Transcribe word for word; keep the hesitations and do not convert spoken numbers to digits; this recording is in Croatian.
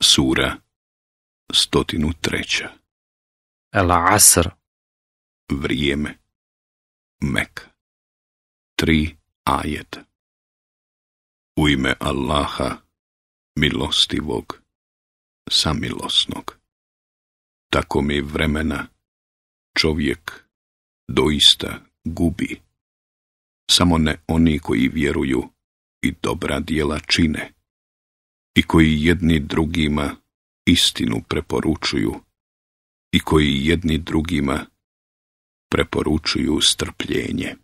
Sura stotinu treća. El Asr. Vrijeme. Mek. Tri ajeta. U ime Allaha, milostivog, samilosnog. Tako mi vremena čovjek doista gubi. Samo ne oni koji vjeruju i dobra djela čine i koji jedni drugima istinu preporučuju i koji jedni drugima preporučuju strpljenje.